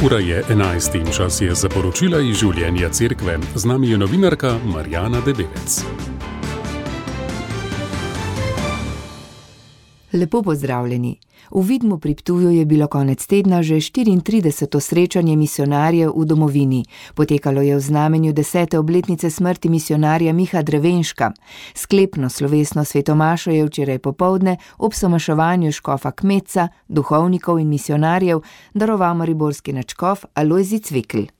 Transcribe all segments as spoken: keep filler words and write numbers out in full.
Ura je enajst in čas je za poročila iz življenja cerkve. Z nami je novinarka Marjana Debevec. Lepo pozdravljeni. V Vidmu pri Ptuju je bilo konec tedna že štiriintrideseto srečanje misijonarjev v domovini. Potekalo je v znamenju desete obletnice smrti misijonarja Miha Drevenška. Sklepno slovesno svetomašo je včeraj popoldne ob somaševanju škofa Kmetca, duhovnikov in misijonarjev daroval mariborski nadškof Alojzij Cvikl.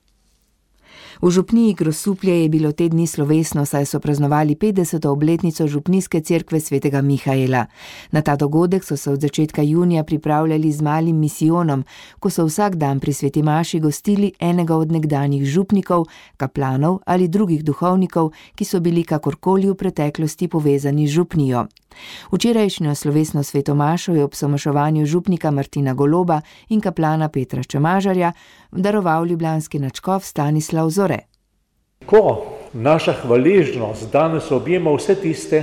V župniji Grosuplje je bilo te dni slovesno, saj so praznovali petdeseto obletnico župnijske cerkve svetega Mihaela. Na ta dogodek so se od začetka junija pripravljali z malim misijonom, ko so vsak dan pri sveti maši gostili enega od nekdanjih župnikov, kaplanov ali drugih duhovnikov, ki so bili kakorkoli v preteklosti povezani z župnijo. Včerajšnjo slovesno svetomašo je ob somaševanju župnika Martina Goloba in kaplana Petra Čemažarja daroval ljubljanski nadškof Stanislav Zore. Ko naša hvaležnost danes objema vse tiste,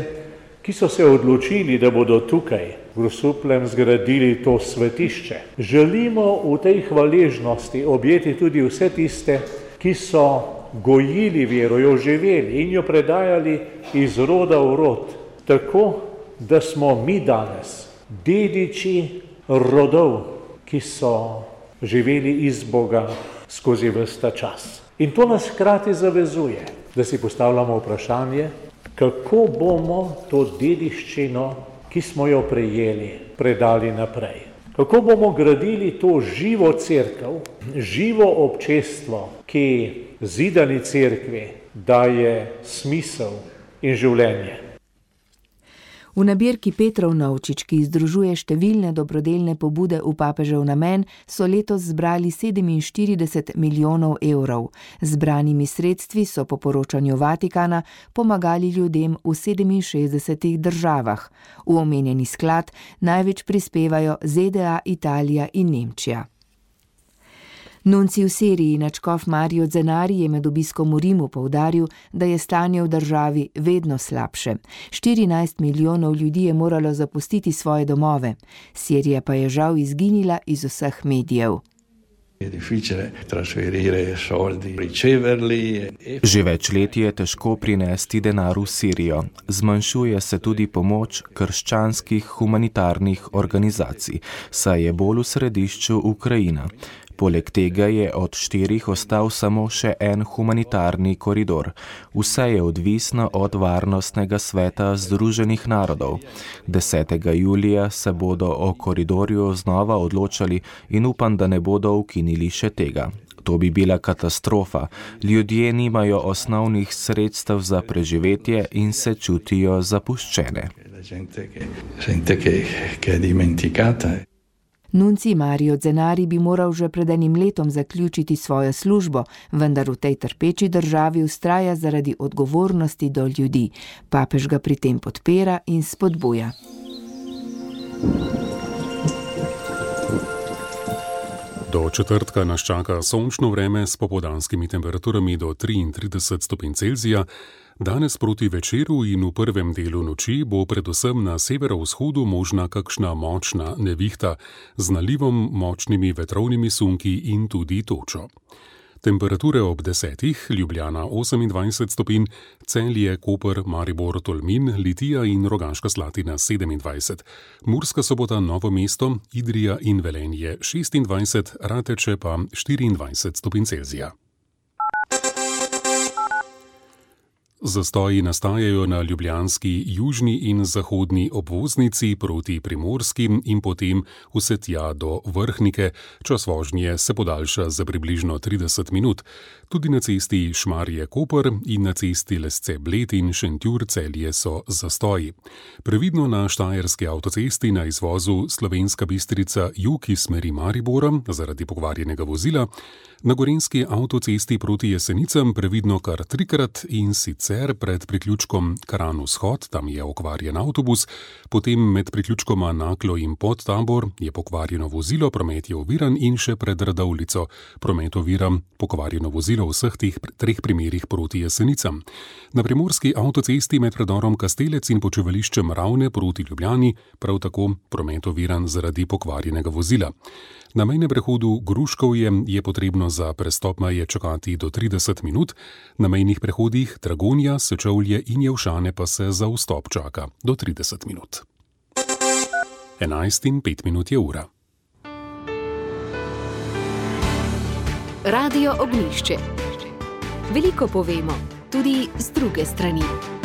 ki so se odločili, da bodo tukaj v Grosupljem zgradili to svetišče, želimo v tej hvaležnosti objeti tudi vse tiste, ki so gojili vero, jo živeli in jo predajali iz roda v rod, tako da smo mi danes dediči rodov, ki so živeli iz Boga skozi ves ta čas. In to nas hkrati zavezuje, da si postavljamo vprašanje, kako bomo to dediščino, ki smo jo prejeli, predali naprej. Kako bomo gradili to živo cerkev, živo občestvo, ki zidani cerkvi daje smisel in življenje. V nabirki Petrov Novčič, ki združuje številne dobrodelne pobude v papežev namen, so letos zbrali sedeminštirideset milijonov evrov. Zbranimi sredstvi so po poročanju Vatikana pomagali ljudem v sedeminšestdesetih državah. V omenjeni sklad največ prispevajo Z D A, Italija in Nemčija. Nuncij v Siriji nadškof Mario Zenari je med obiskom v Rimu poudaril, da je stanje v državi vedno slabše. štirinajst milijonov ljudi je moralo zapustiti svoje domove. Sirija pa je žal izginila iz vseh medijev. Že več let je težko prinesti denar v Sirijo. Zmanjšuje se tudi pomoč krščanskih humanitarnih organizacij, saj je bolj v središču Ukrajina. Poleg tega je od štirih ostal samo še en humanitarni koridor. Vse je odvisno od Varnostnega sveta Združenih narodov. desetega julija se bodo o koridorju znova odločali in upam, da ne bodo ukinili še tega. To bi bila katastrofa. Ljudje nimajo osnovnih sredstev za preživetje in se čutijo zapuščene. Nuncij Mario Zenari bi moral že pred enim letom zaključiti svojo službo, vendar v tej trpeči državi vztraja zaradi odgovornosti do ljudi. Papež ga pri tem podpira in spodbuja. Do četrtka nas čaka sončno vreme s popoldanskimi temperaturami do triintrideset stopinj Celzija. Danes proti večeru in v prvem delu noči bo predvsem na severovzhodu možna kakšna močna nevihta z nalivom, močnimi vetrovnimi sunki in tudi točo. Temperature ob desetih, Ljubljana osemindvajset stopinj, Celje, Koper, Maribor, Tolmin, Litija in Rogaška Slatina sedemindvajset, Murska Sobota, Novo mesto, Idrija in Velenje šestindvajset, Rateče pa štiriindvajset stopinj Celzija. Zastoji nastajajo na ljubljanski južni in zahodni obvoznici proti Primorski in potem vse tja do Vrhnike. Čas vožnje se podaljša za približno trideset minut. Tudi na cesti Šmarje-Koper in na cesti Lesce-Bled in Šentjur-Celje so zastoji. Previdno na štajerski avtocesti na izvozu Slovenska Bistrica jug iz smeri Maribora zaradi pokvarjenega vozila. Na gorenjski avtocesti proti Jesenicam previdno kar trikrat in sicer sicer pred priključkom Kranj-Vzhod, tam je okvarjen avtobus, potem med priključkoma Naklo in Podtabor je pokvarjeno vozilo, promet je oviran in še pred Radovljico. Promet ovira pokvarjeno vozilo v vseh teh treh primerih proti Jesenicam. Na primorski avtocesti med predorom Kastelec in počivališčem Ravne proti Ljubljani prav tako promet oviran zaradi pokvarjenega vozila. Na mejnem prehodu Gruškovje je potrebno za prestop meje čakati do trideset minut, na mejnih prehodih Dragonja, Sečovlje in Jelšane pa se za vstop čaka do trideset minut. enajst in pet minut je ura. Radio Ognjišče. Veliko povemo, tudi z druge strani.